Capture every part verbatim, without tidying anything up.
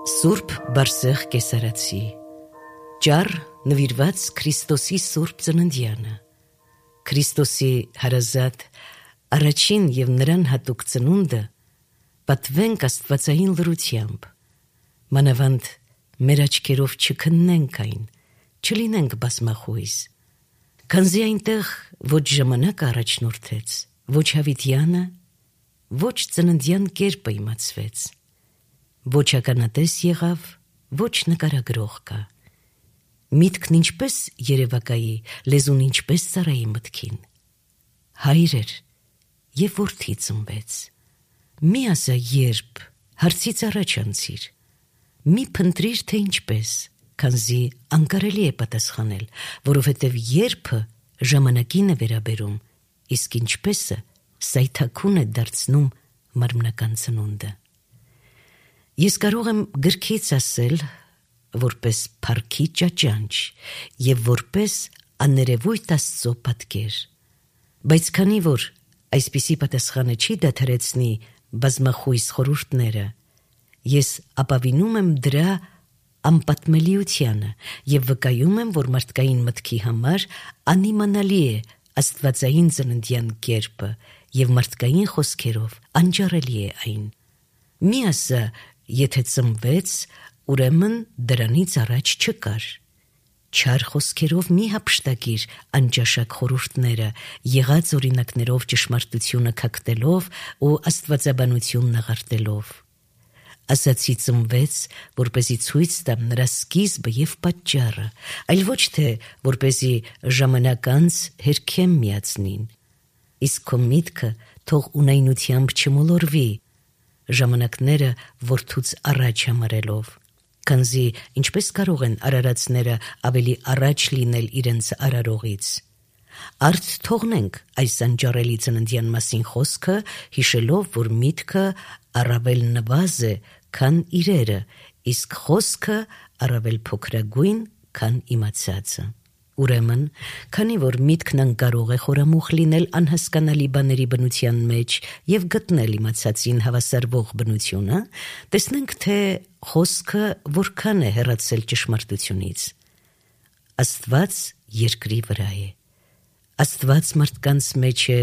Սուրբ Բարսեղ Կեսարացի Ճառ նվիրված Քրիստոսի Սուրբ Ծննդյանը Քրիստոսի հարազատ առաջին և նրան հատուկ ծնունդը պատվենք աստվածային լրությամբ, մանավանդ մեր աչքերով չքննենք այն, չլինենք բազմախույս, քանզի այնտեղ ոչ ժամանակ առաջնորդեց, ոչ հավիտյանը, ոչ ծննդյան կերպը իմացվեց, ոչ ականատես եղավ, ոչ նկարագրող կա, միտքն ինչպես երևակայի, լեզուն ինչպես ծառայի մտքին, հայր էր և որդի ծնվեց, մի ասա երբ, հարցից առաջ անցիր, մի փնտրիր թե ինչպես, քանզի անկարելի է պատասխանել, որովհետև երբը ժամանակին է վերաբերում, իսկ ինչպեսը սայթաքուն է դարձնում մարմնական ծնունդը։ Ես կարող եմ գրքից ասել, որպես փառքի ճաճանչ և որպես աներևույթ Աստծո պատկեր, բայց քանի որ այսպիսի պատասխանը չի դադարեցնի բազմախույս խորհուրդները, ես ապավինում եմ դրա անպատմելիությանը և վկայում եմ, որ մարդկային մտքի համար անիմանալի է աստվածային ծննդյան կերպը և մարդկային խոսքերով անջառելի է այն։ Մի ասա, եթե ծնվեց, ուրեմն դրանից առաջ չկար։ Չար խոսքերով մի հափշտակիր անճաշակ խորհուրդները, եղած օրինակներով ճշմարտությունը քակտելով ու աստվածաբանությունն աղարտելով։ Ասացի ծնվեց, որպեսզի ցույց տամ նրա սկիզբը և պատճառը, այլ ոչ թե որպեսզի ժամանակ անց հերքեմ միացնին։ Իսկ քո միտքը թող ունայնությամբ չմոլորվի, ժամանակները որդուց առաջ համարելով, քանզի ինչպես կարող են արարածները ավելի առաջ լինել իրենց արարողից։ Արդ թողնենք այս անջառելի ծննդյան մասին խոսքը, հիշելով, որ միտքը առավել նվազ է, քան իրերը, իսկ խոսքը առավել փոքրագույն, քան իմացածը։ Ուրեմն, քանի որ միտքն անկարող է խորամուխ լինել անհասկանալի բաների բնության մեջ և գտնել իմացածին հավասարվող բնությունը, տեսնենք, թե խոսքը որքան է հեռացել ճշմարտությունից։ Աստված երկրի վրա է։ Աստված մարդկանց մեջ է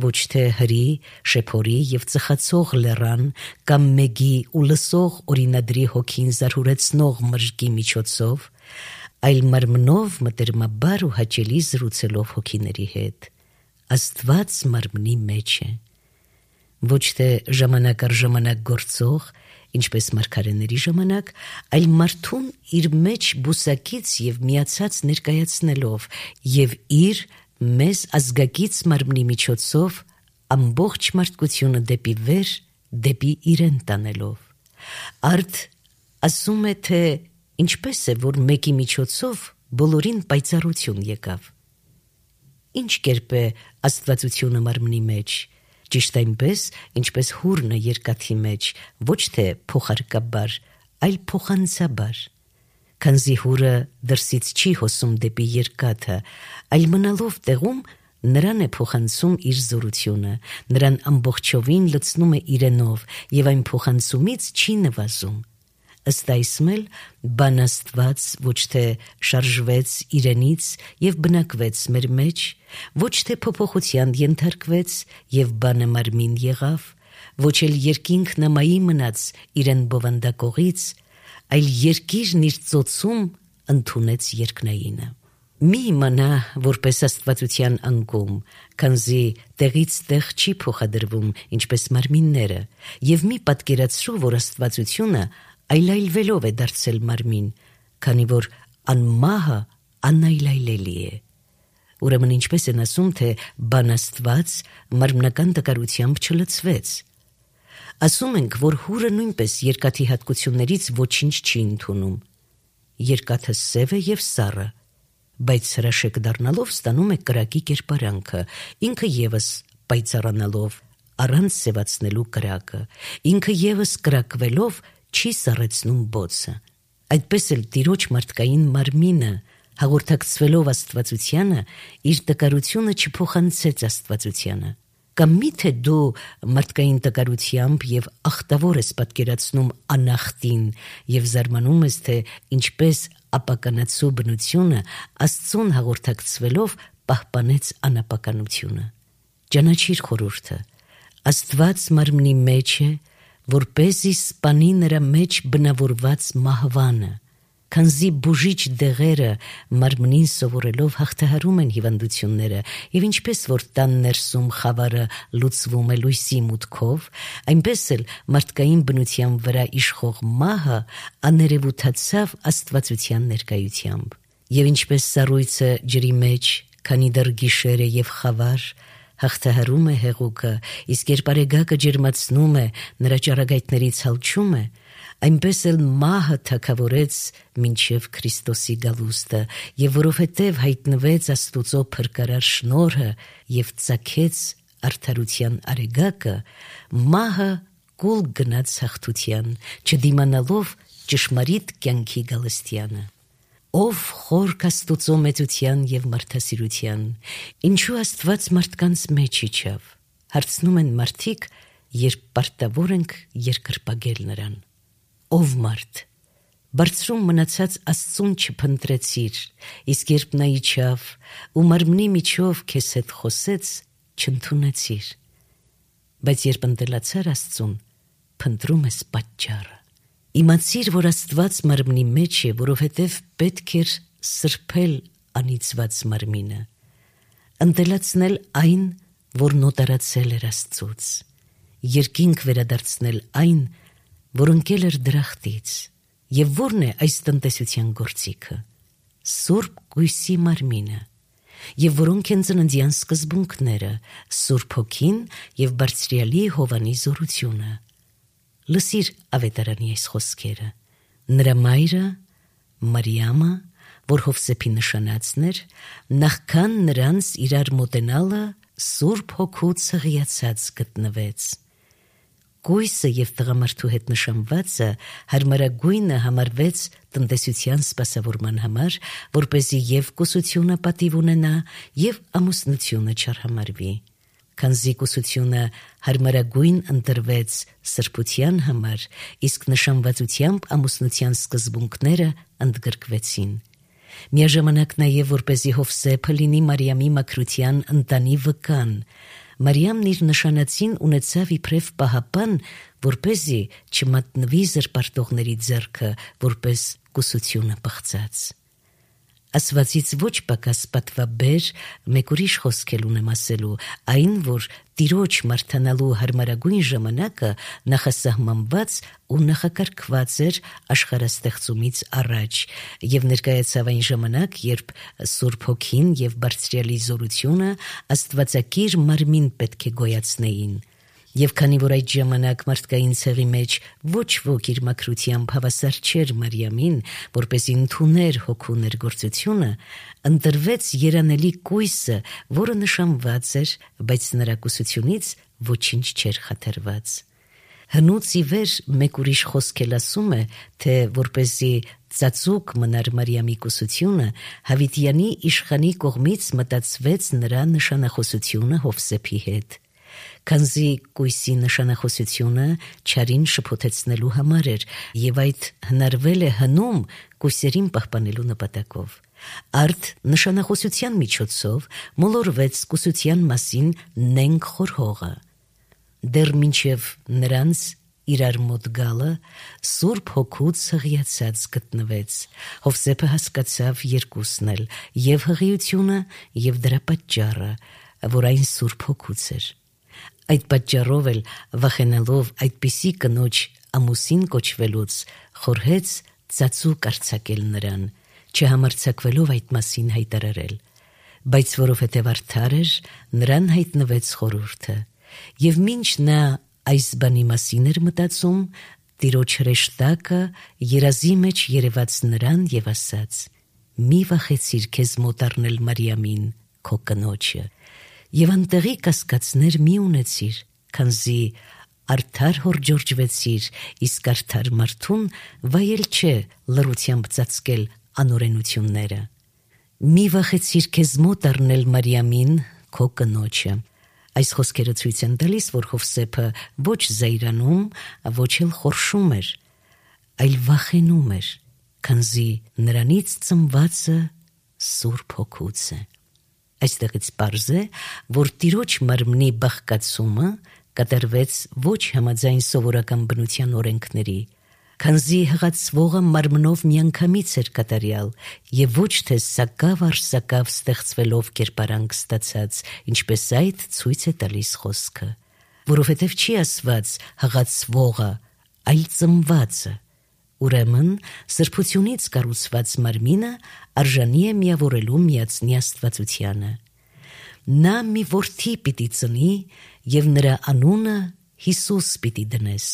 ոչ թե հրի, շեփորի և ծխացող լեռան կամ մեգի ու լսող օրինադրի հոգին զարհուրեցնող մրրկի միջոցով, այլ մարմնով մտերմաբար ու հաճելի զրուցելով հոգիների հետ։ Աստված մարմնի մեջ է։ Ոչ թե ժամանակ առ ժամանակ գործող, ինչպես մարգարեների ժամանակ, այլ մարդուն իր մեջ բուսակից և միացած ներկայացնելով և իր մեզ ազգակից մարմնի միջոցով ամբողջ մարդկությունը դեպի վեր, դեպի իրեն տանելով։ Արդ ասում է, թե ինչպես է, որ մեկի միջոցով բոլորին պայծառություն եկավ։ Ինչ կերպ է աստվածությունը մարմնի մեջ, ճիշտ այնպես, ինչպես հուրնը երկաթի մեջ, ոչ թե փոխարկաբար, այլ փոխանցաբար, քանզի հուրը դրսից չի հոսում դեպի երկաթը, այլ մնալով տեղում նրան է փոխանցում իր զորությունը, նրան ամբողջովին լցնում է իրենով և այն փոխանցումից չի նվազում։ Ըստ այսմ էլ բան Աստված ոչ թե շարժվեց իրենից և բնակվեց մեր մեջ, ոչ թե փոփոխության ենթարկվեց և բանը մարմին եղավ, ոչ էլ երկինքն ամայի մնաց իրեն բովանդակողից, այլ երկիրն իր ծոցում ընդունեց երկնայինը։ Մի իմանա որպես աստվածության անկում, քանզի տեղից տեղ չի փոխադրվում, ինչպես մարմինները, և մի պատկերացրու, որ աստվածությունը այլայլվելով է դարձել մարմին, քանի որ անմահը անայլայլելի է։ Ուրեմն ինչպես են ասում, թե բան Աստված մարմնական տկարությամբ չլցվեց։ Ասում ենք, որ հուրը նույնպես երկաթի հատկություններից ոչինչ չի ընդունում։ Երկաթը սև է և սառը, բայց հրաշեկ դառնալով ստանում է կրակի կերպարանքը, ինքը ևս պայծառանալով առանց սևացնելու կրակը, ինքը ևս կրակվելով չի սառեցնում բոցը։ Այդպես էլ Տիրոջ մարդկային մարմինը, հաղորդակցվելով աստվածությանը, իր տկարությունը չփոխանցեց աստվածությանը, Կամ միթե դու մարդկային տկարությամբ եւ ախտավոր ես պատկերացնում անախտին եւ զարմանում ես, թե ինչպես ապականացու բնությունը Աստծուն հաղորդակցվելով պահպանեց անապականությունը։ Ճանաչիր խորհուրդը, Աստված մարմնի մեջ է, որպեսզի սպանի նրա մեջ բնավորված մահվանը, քանզի բուժիչ դեղերը մարմնին սովորելով հաղթահարում են հիվանդությունները, եւ ինչպես որ տան ներսում խավարը լուծվում է լույսի մուտքով, այնպես էլ մարդկային բնության վրա իշխող մահը աներևութացավ աստվածության ներկայությամբ։ Եվ ինչպես սառույցը ջրի մեջ, քանի դեռ գիշեր է եւ խավար, հաղթահարում է հեղուկը, իսկ երբ արեգակը ջերմացնում է, նրա ճառագայթներից հալչում է, այնպես էլ մահը թագավորեց մինչև Քրիստոսի գալուստը, եւ որովհետեւ հայտնվեց Աստուծո փրկարար շնորհը եւ ծագեց արդարության արեգակը, մահը կուլ գնաց հաղթության, չդիմանալով ճշմարիտ կյանքի գալստյանը։ Ով խորք Աստուծո մեծության եւ մարդասիրության, ինչու Աստված մարդկանց մեջ իջավ, հարցնում են մարդիկ, երբ պարտավոր ենք երկրպագել նրան։ Ով մարդ, բարձրում մնացած Աստծուն չփնտրեցիր, իսկ երբ նա իջավ ու մարմնի միջով քեզ հետ խոսեց, չընդունեցիր, բայց երբ ընտելացար Աստծուն, փնտրում ես պատճառը։ Իմացիր, որ Աստված մարմնի մեջ է, որովհետև պետք էր սրբել անիծված մարմինը, ընտելացնել այն, որ նոտարացել էր Աստծուց, երկինք վերադարձնել այն, որ ընկել էր դրախտից, եւ որն է այս տնտեսության գործիքը, Սուրբ Գույսի մարմինը, եւ որոնք են ծննդյան սկզբունքները, Սուրբ Հոգին եւ Բարձրյալի Հովանի զորությունը։ Լսիր ավետարանի այս խոսքերը։ Նրա մայրը Մարիամը, որ Հովսեփի նշանածն էր, նախքան նրանց իրար մոտենալը Սուրբ Հոգուց հղիացած գտնվեց։ Գույսը եւ տղամարդու հետ նշանվածը հարմարագույնը համարվեց տնտեսության սպասավորման համար, որպեսզի եւ կուսությունը պատիվ ունենա եւ ամուսնությունը չարհամարվի։ Քանզի կուսությունը հարմարագույն ընտրվեց սրբության համար, իսկ նշանվածությամբ ամուսնության սկզբունքները ընդգրկվեցին։ Միաժամանակ նաև որպեսզի Հովսեփը լինի Մարիամի մաքրության ընտանի վկան, Մարիամն իր նշանածին ունեցավ իբրև պահապան, որպեսզի չմատնվի զրպարտողների ձեռքը, որպես կուսությունը պղծած։ Ասվածից ոչ պակաս պատվաբեր մեկ ուրիշ խոսք էլ ունեմ ասելու, այն, որ Տիրոջ մարդանալու հարմարագույն ժամանակը նախասահմանված ու նախակարգված էր աշխարհաստեղծումից առաջ, եւ ներկայացավ այն ժամանակ, երբ Սուրբ Հոգին եւ Բարձրյալի զորությունը Աստվածակիր մարմին պետք է գոյացնեին։ Եվ քանի որ այդ ժամանակ մարդկային ցեղի մեջ ոչ ոք իր մաքրությամբ հավասար չէր Մարիամին, որպեսզի ընդուներ հոգու ներգործությունը, ընտրվեց երանելի կույսը, որը նշանված էր, բայց նրա կուսությունից ոչինչ չէր խաթարված։ Հնուց ի վեր մեկ ուրիշ խոսք էլ ասում է, թե որպեսզի ծածուկ մնար Մարիամի կուսությունը, Հավիտյանի իշխանի կողմից մտածվեց նրա նշանախոսությունը Հովսեփի հետ։ Քանզի կույսի նշանախոսությունը չարին շփոթեցնելու համար էր եւ այդ հնարվել է հնում կույսերին պահպանելու նպատակով։ Արդ նշանախոսության միջոցով մոլորվեց կուսության մասին նենք խորհողը։ Դեռ մինչև նրանց իրար մոտ գալը Սուրբ Հոգուց հղիացած գտնվեց։ Հովսեփը հասկացավ երկուսն էլ, եւ հղիությունը, եւ դրա պատճառը, որ այն Սուրբ Հոգուց էր։ Այդ պատճառով էլ վախենալով այդպիսի կնոջ ամուսին կոչվելուց խորհեց ծածուկ արձակել նրան, չհամարձակվելով այդ մասին հայտարարել, բայց որովհետև արդար էր, նրան հայտնվեց խորհուրդը, եւ մինչ նա այս բանի մասին էր մտածում, Տիրոջ հրեշտակը երազի մեջ երևաց նրան եւ ասաց. «Մի վախեցիր քեզ մոտ առնել Մարիամին, քո կնոջը, եւ անտեղի կասկածներ մի ունեցիր, քանզի արդար հորջորջվեցիր, իսկ արդար մարդուն վայել չէ լռությամբ ծածկել անօրենությունները։ Մի վախեցիր քեզ մոտ առնել Մարիամին, քո կնոջը, Այս խոսքերը ցույց են տալիս, որ Հովսեփը ոչ զայրանում, ոչ էլ խորշում էր, այլ վախենում էր, քանզի նրանից ծնվածը Սուրբ Հոգուց է։ Այստեղից պարզ է, որ Տիրոջ մարմնի բաղկացումը կատարվեց ոչ համաձայն սովորական բնության օրենքների, քանզի հղացվողը մարմնով միանգամից էր կատարյալ եւ ոչ թե սակավ առ սակավ ստեղծվելով կերպարանք ստացած, ինչպես այդ ցույց է տալիս խոսքը, որովհետեւ չի ասված հղացվողը, այլ ծնվածը։ Ուրեմն սրբությունից կառուցված մարմինը արժանի է միավորելու միածնի աստվածությանը։ Նա մի որդի պիտի ծնի եւ նրա անունը Հիսուս պիտի դնես։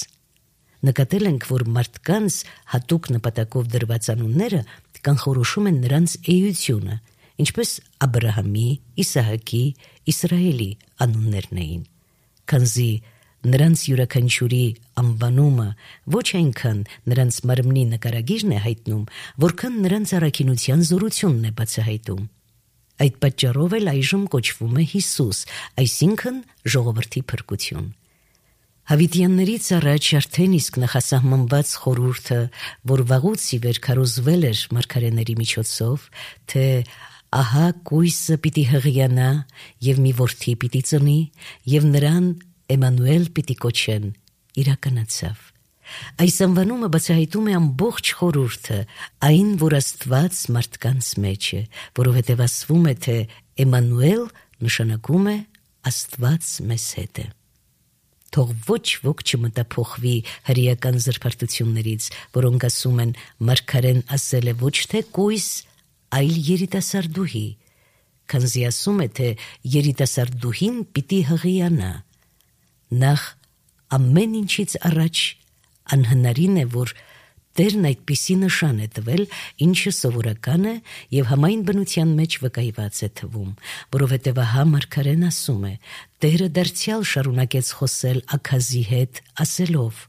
Նկատել ենք, որ մարդկանց հատուկ նպատակով դրված անունները կանխորոշում են նրանց էությունը, ինչպես Աբրահամի, Իսահակի, Իսրայելի անուններն էին, քանզի նրանց յուրաքանչյուրի անվանումը ոչ այնքան նրանց մարմնի նկարագիրն է հայտնում, որքան նրանց առաքինության զորությունն է բացահայտում։ Այդ պատճառով էլ այժմ կոչվում է Հիսուս, այսինքն ժողովրդի փրկություն։ Հավիտյաններից առաջ արդեն իսկ նախասահմանված խորհուրդը, որ վաղուց ի վեր քարոզվել էր մարգարեների միջոցով, թե ահա կույսը պիտի հղիանա եւ մի որդի պիտի ծնի եւ նրան Էմանուել պիտի կոչեն, իրականացավ։ Այս անվանումը բացահայտում է ամբողջ խորհուրդը, այն, որ Աստված մարդկանց մեջ է, որովհետև ասվում է, թե Էմանուել նշանակում է Աստված մեզ հետ է։ Թող ոչ ոք չմտափոխվի հրեական զրպարտություններից, որոնք ասում են մարգարեն ասել է ոչ թե կույս, այլ երիտասարդուհի, քանզի ասում է, թե երիտասարդուհին պիտի հղիանա։ Նախ ամեն ինչից առաջ անհնարին է, որ Տերն այդպիսի նշան է տվել, ինչը սովորական է եւ համայն բնության մեջ վկայված է թվում, որովհետեւ ահա մարգարեն ասում է. Տերը դարձյալ շարունակեց խոսել Աքազի հետ, ասելով.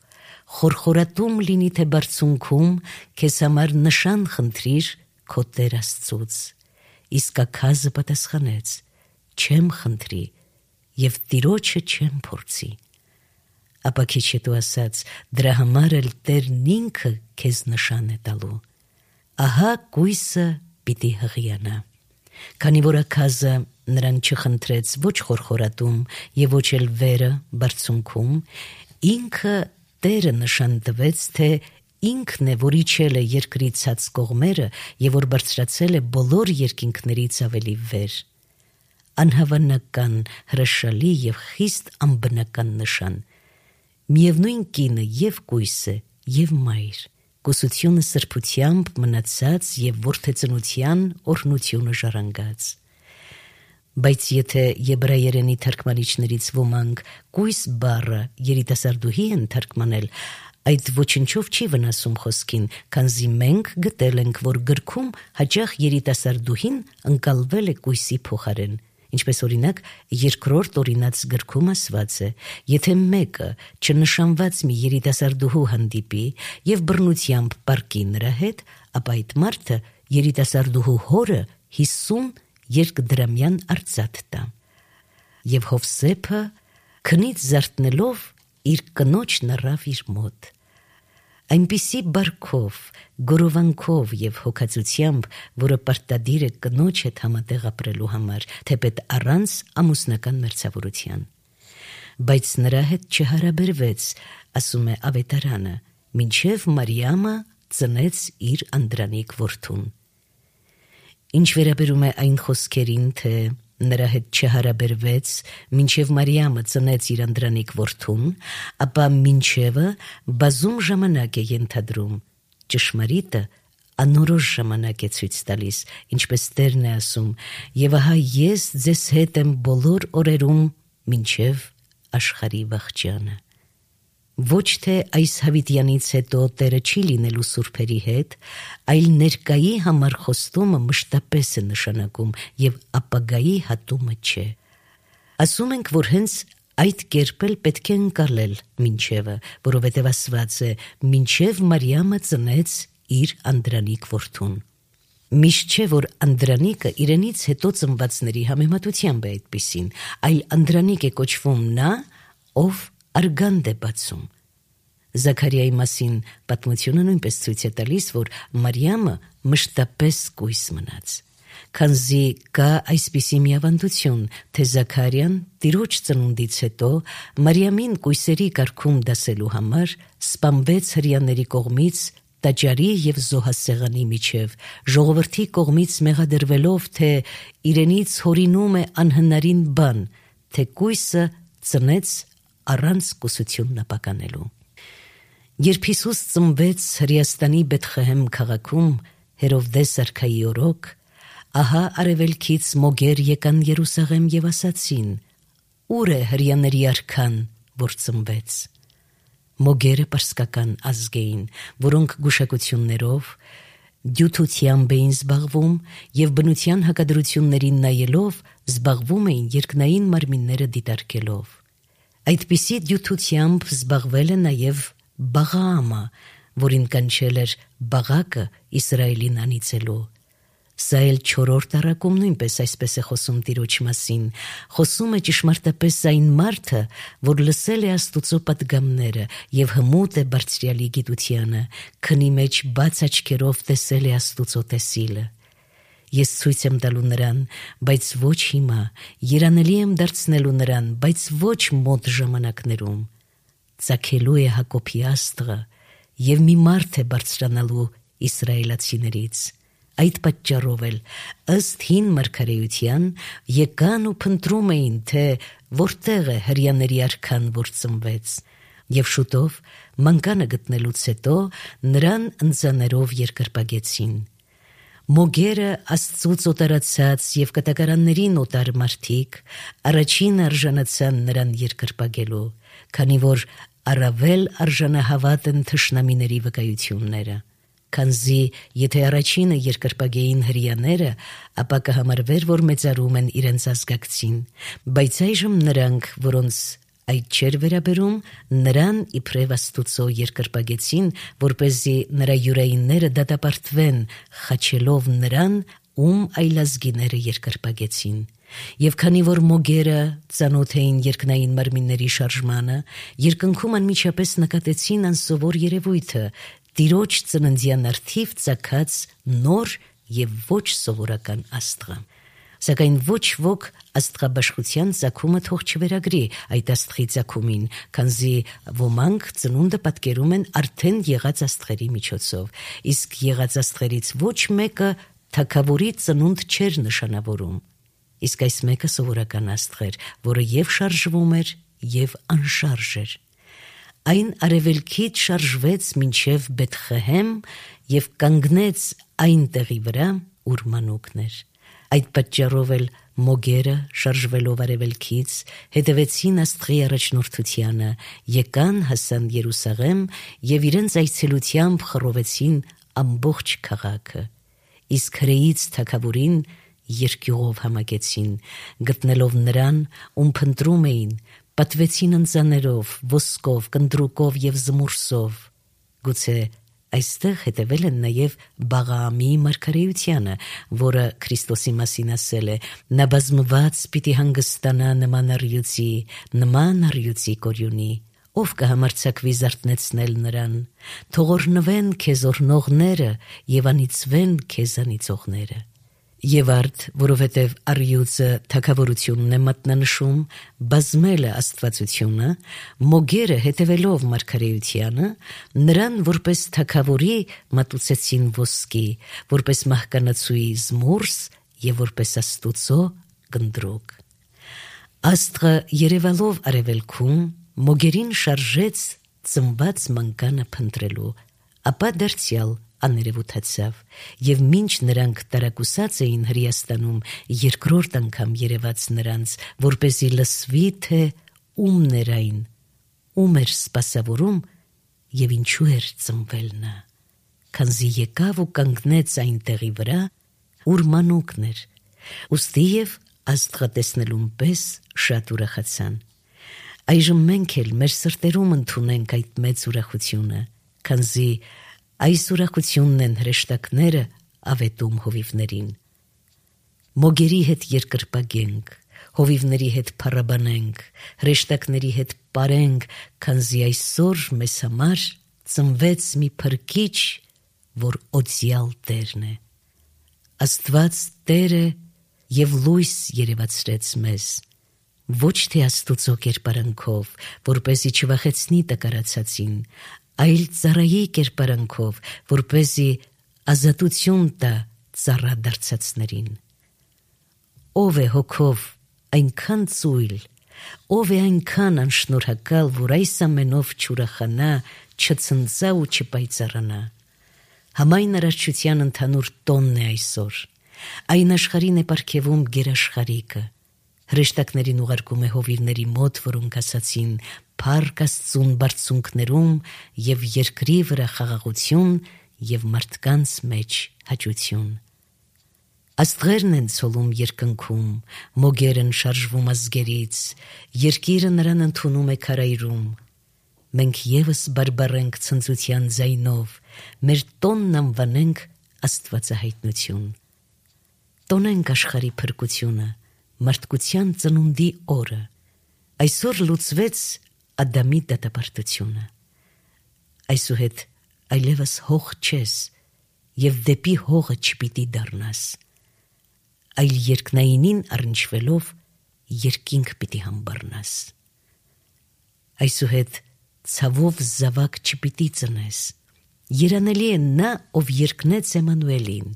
«Խորխորատում լինի թե բարձունքում, քեզ համար նշան խնդրիր քո Տեր Աստծուց»։ Իսկ Աքազը պատասխանեց. «Չեմ խնդրի եւ Տիրոջը չեմ փորձի»։ Ապա քիչ հետո ասաց. «Դրա համար էլ Տերն ինքը քեզ նշան է տալու. ահա կույսը պիտի հղիանա»։ Քանի որ Աքազը նրան չխնդրեց ոչ խորխորատում եւ ոչ էլ վերը բարձունքում, ինքը Տերը նշան տվեց, թե ինքն է, որ իջել է երկրի ցած կողմերը եւ որ բարձրացել է բոլոր երկինքներից ավելի վեր։ Անհավանական, հրաշալի եւ խիստ անբնական նշան։ Միևնույն կինը եւ կույսը եւ մայր, կուսությունը սրբությամբ մնացած եւ որդեծնության օրհնությունը ժառանգած։ Բայց եթե եբրայերենի թարգմանիչներից ոմանք կույս բառը երիտասարդուհի են թարգմանել, այդ ոչնչով չի վնասում խոսքին, քանզի մենք գտել ենք, որ գրքում հաճախ երիտասարդուհին ընկալվել է կույսի փոխարեն, ինչպես օրինակ երկրորդ օրինաց գրքում ասված է. եթե մեկը չնշանված մի երիտասարդուհու հանդիպի եւ բռնությամբ պառկի նրա հետ, ապա այդ մարդը երիտասարդուհու հորը հիսուն երկդրամյան արծաթ տա։ Եվ Հովսեփը քնից զարթնելով իր կնոջն առավ իր մոտ։ Այնպիսի բարքով, գորովանքով եւ հոգացությամբ, որը պարտադիր է կնոջ հետ համատեղ ապրելու համար, թեպետ առանց ամուսնական մերձավորության։ Բայց նրա հետ չհարաբերվեց, ասում է ավետարանը, մինչև Մարիամը ծնեց իր անդրանիկ որդուն։ Ինչ վերաբերում է այն խոսքերին, թե նրա հետ չհարաբերվեց, մինչև Մարիամը ծնեց իր անդրանիկ որդուն, ապա մինչևը բազում ժամանակ է ենթադրում, ճշմարիտը անորոշ ժամանակ է ցույց տալիս, ինչպես Տերն է ասում, եւ ահա ես ձեզ հետ եմ բոլոր օրերում մինչև աշխարհի վախճանը։ Ոչ թե այս հավիտյանից հետո Տերը չի լինելու սուրբերի հետ, այլ ներկայի համար խոստումը մշտապես է նշանակում եւ ապագայի հատումը չէ։ Ասում ենք, որ հենց այդ կերպ էլ պետք է ընկալել մինչևը, որովհետև ասված է. մինչև Մարիամը ծնեց իր անդրանիկ որդուն։ Միշտ չէ, որ անդրանիկը իրենից հետո ծնվածների համեմատությամբ է այդպիսին, այլ անդրանիկ է կոչվում նա, ով արգանդ է բացում։ Զաքարիայի մասին պատմությունը նույնպես ցույց է տալիս, որ Մարիամը մշտապես կույս մնաց։ Քանզի կա այսպիսի մի ավանդություն, թե Զաքարիան տիրոջ ծնունդից հետո Մարիամին կույսերի կարգում դասելու համար սպանվեց հրեաների կողմից տաճարի և զոհասեղանի միջև, ժողովրդի կողմից մեղադրվելով, թե իրենից հորինում է անհնարին բան, թե կույսը ծնեց առանց կուսություն ապականելու։ Երբ Հիսուս ծնվեց Հրեաստանի Բեթխեհեմ քաղաքում Հերովդես արքայի օրոք, ահա արևելքից մոգեր եկան Երուսաղեմ և ասացին. «Ո՞ւր է հրեաների արքան, որ ծնվեց»։ Մոգերը պարսկական ազգ էին, որոնք գուշակություններով, դյութությամբ էին զբաղվում և բնության հակադրություններին նայելով զբաղվում էին երկնային մարմինները դիտարկելով։ Այդպիսի դյութությամբ զբաղվել է նաև Բաղաամը, որին կանչել էր Բաղակը Իսրայելին անիծելու։ Սա էլ չորրորդ առակում նույնպես այսպես է խոսում Տիրոջ մասին, խոսում է ճշմարտապես այն մարդը, որ լսել է Աստուծո պատգամները և հմուտ է Բարձրյալի գիտությանը, քնի մեջ բաց աչքերով տեսել է Աստուծո տեսիլը։ Ես ցույց եմ տալու նրան, բայց ոչ հիմա, երանելի եմ դարձնելու նրան, բայց ոչ մոտ ժամանակներում։ Ծագելու է Հակոբի աստղը, և մի մարդ է բարձրանալու իսրայելացիներից։ Այդ պատճառով էլ, ըստ հին մարգարեության, եկան ու փնտրում էին, թե որտեղ է հրեաների արքան, որ ծնվեց, և շուտով մանկանը գտնելուց հետո նրան ընձաներով երկրպագեցին։ Մոգերը Աստծուց օտարացած և կտակարաններին օտար մարդիկ առաջին արժանացան նրան երկրպագելու, քանի որ առավել արժանահավատ են թշնամիների վկայությունները։ Քանզի եթե առաջինը երկրպագեին հրեաները, ապա կհամարվեր, որ մեծարում են իրենց ազգակցին, բայց այժմ նրանք, որոնց այդ չէր վերաբերում, նրան իբրև Աստուծո երկրպագեցին, որպեսզի նրա յուրայինները դատապարտվեն, խաչելով նրան, ում այլազգիները երկրպագեցին։ Եվ քանի որ մոգերը ծանոթ էին երկնային մարմինների շարժմանը, երկնքում անմիջապես նկատեցին անսովոր երևույթը՝ Տիրոջ ծննդյան առթիվ ծագած նոր և ոչ սովորական աստղը։ Սակայն ոչ ոք աստղաբաշխության ծագումը թող չվերագրի այդ աստղի ծագումին, քանզի ոմանք ծնունդը պատկերում են արդեն եղած աստղերի միջոցով, իսկ եղած աստղերից ոչ մեկը թագավորի ծնունդ չէր նշանավորում, իսկ այս մեկը սովորական աստղ էր, որը և շարժվում էր, և անշարժ էր։ Այն արևելքից շարժվեց մինչև Բեթխեհեմ և կանգնեց այն տեղի վրա, ուր մանուկն էր։ Այդ պատճառով էլ մոգերը, շարժվելով արևելքից, հետևեցին աստղի առաջնորդությանը, եկան, հասան Երուսաղեմ և իրենց այցելությամբ խռովեցին ամբողջ քաղաքը, իսկ հրեից թագավորին երկյուղով համակեցին, գտնելով նրան, ում փնտրում էին, պատվեցին ընձաներով, ոսկով, կնդրուկով և զմուրսով։ Գուցե այստեղ հետևել են նաև Բաղաամի մարգարեությանը, որը Քրիստոսի մասին ասել է. «Նա բազմված պիտի հանգստանա նման առյուծի, նման առյուծի կորյունի, ով կհամարձակվի զարթնեցնել նրան, թող օրհնվեն քեզ օրհնողները և անիծվեն քեզ անիծողները»։ Եվ արդ, որովհետև առյուծը թագավորությունն է մատնանշում, բազմելը աստվածությունը, մոգերը հետևելով մարգարեությանը, նրան որպես թագավորի մատուցեցին ոսկի, որպես մահկանացուի զմուրս և որպես Աստուծո կնդրուկ։ Աստղը երևալով արևելքում, մոգերին շարժեց ծնված մանկանը փնտրելու, ապա դարձյալ աներևութացավ, և մինչ նրանք տարակուսած էին Հրեաստանում, երկրորդ անգամ երևաց նրանց, որպեսզի լսվի, թե ումն էր այն, ում էր սպասավորում և ինչու էր ծնվել նա, քանզի եկավ ու կանգնեց այն տեղի վրա, ուր մանուկն էր, ուստի և աստղը տեսնելուն պես շատ ուրախացան։ Այժմ մենք էլ մեր սրտերում ընդունենք այդ մեծ ուրախությունը, քանզի այս ուրախությունն են հրեշտակները ավետում հովիվներին։ Մոգերի հետ երկրպագենք, հովիվների հետ փառաբանենք, հրեշտակների հետ պարենք, քանզի այսօր մեզ համար ծնվեց մի փրկիչ, որ օծյալ Տերն է։ Աստված Տերը և լույս երևացրեց մեզ, ոչ թե Աստուծո կերպարանքով, որպեսզի չվախեցնի տկարացածին, այլ ծառայի կերպարանքով, որպեսզի ազատություն տա ծառա դարձածներին։ Ով է հոգով այնքան ծույլ, ով է այնքան անշնորհակալ, որ այս ամենով չուրախանա, չցնծա ու չպայծառանա։ Համայն արարչության ընդհանուր տոնն է այսօր, այն աշխարհին է պարգևում գերաշխարհիկը, հրեշտակներին ուղարկում է հովիվների մոտ, որոնք ասացին փառք Աստծուն բարձունքներում և երկրի վրա խաղաղություն և մարդկանց մեջ հաճություն։ Աստղերն են ցոլում երկնքում, մոգերն շարժվում ազգերից, երկիրը նրան ընդունում է քարայրում։ Մենք ևս բարբառենք ցնծության ձայնով, մեր տոնն անվանենք Աստվածահայտնություն։ Տոնենք աշխարհի փրկությունը, մարդկության ծնունդի օրը։ Այսօր լուծվեց Ադամի դատապարտությունը։ Այսուհետ այլևս հող չես և դեպի հողը չպիտի դառնաս, այլ երկնայինին առնչվելով երկինք պիտի համբառնաս։ Այսուհետ ցավով զավակ չպիտի ծնես, երանելի է նա, ով երկնեց Էմանուելին,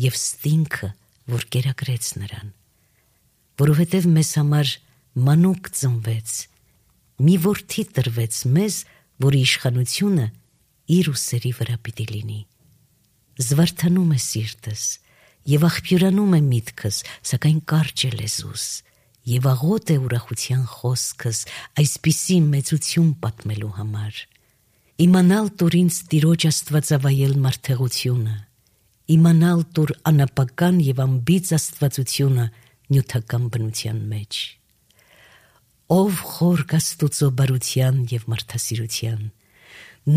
և ստինքը, որ կերակրեց նրան, որովհետև մեզ համար մանուկ ծնվեց, մի որդի տրվեց մեզ, որի իշխանությունը իր ուսերի վրա պիտի լինի։ Զվարթանում է սիրտս և աղբյուրանում է միտքս, սակայն կարճ է լեզուս, և աղոտ է ուրախության խոսքս այսպիսի մեծություն պատմելու համար։ Իմանալ տուր ինձ Տիրոջ աստվածավայել մարդեղությունը, իմանալ տուր անապական և անբիծ աստվածությունը նյութական բնության մեջ։ Ով խորք Աստուծո բարության և մարդասիրության,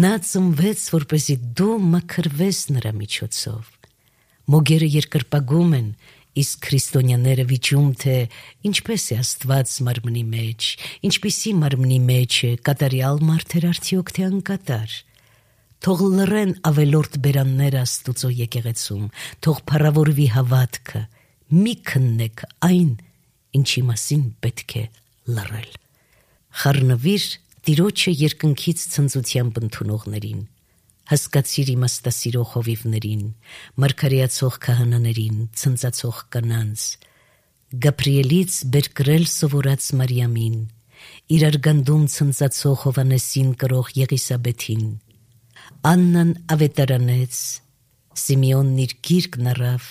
նա ծնվեց, որպեսզի դու մաքրվես նրա միջոցով։ Մոգերը երկրպագում են, իսկ քրիստոնյաները վիճում, թե ինչպես է Աստված մարմնի մեջ, ինչպիսի մարմնի մեջ է, կատարյալ մարդ էր արդյոք թե անկատար։ Թող լռեն ավելորդ բերանները Աստուծո եկեղեցում, թող փառավորվի հավատքը, մի քննեք այն, ինչի մասին պետք է լռել։ Խառնվիր Տիրոջը երկնքից ցնծությամբ ընդունողներին, հասկացիր իմաստասիրող հովիվներին, մարգարեացող քահանաներին, ցնծացող կանանց, Գաբրիելից բերկրել սովորած Մարիամին, իրար գանդում ցնծացող Հովհաննեսին կրող Եղիսաբեթին, Աննան ավետարանեց, Սիմեոնն իր գիրկն առավ,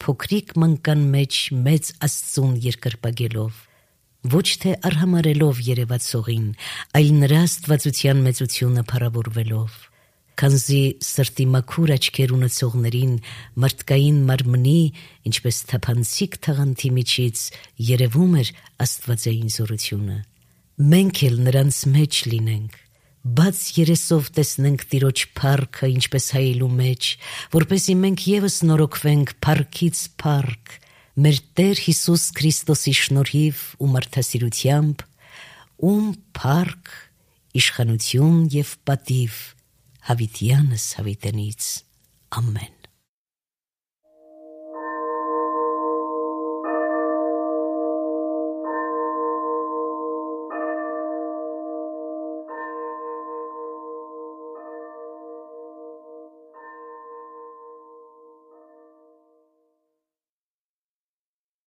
փոքրիկ մանկան մեջ մեծ Աստծուն երկրպագելով, ոչ թե արհամարելով երևացողին, այլ նրա աստվածության մեծությունը փառավորվելով, քանզի սրտի մաքուր աչքեր ունեցողներին մարդկային մարմնի, ինչպես թափանցիկ թաղանթի միջից երևում էր աստվածային զորությունը։ Մենք էլ նրանց մեջ լինենք, բաց երեսով տեսնենք Տիրոջ փառքը, ինչպես հայելու մեջ, որպեսզի մենք ևս նորոգվենք փառքից փառք, մեր Տեր Հիսուս Քրիստոսի շնորհիվ ու մարդասիրությամբ, ում փառք, իշխանություն և պատիվ հավիտյանս հավիտենից։ Ամեն։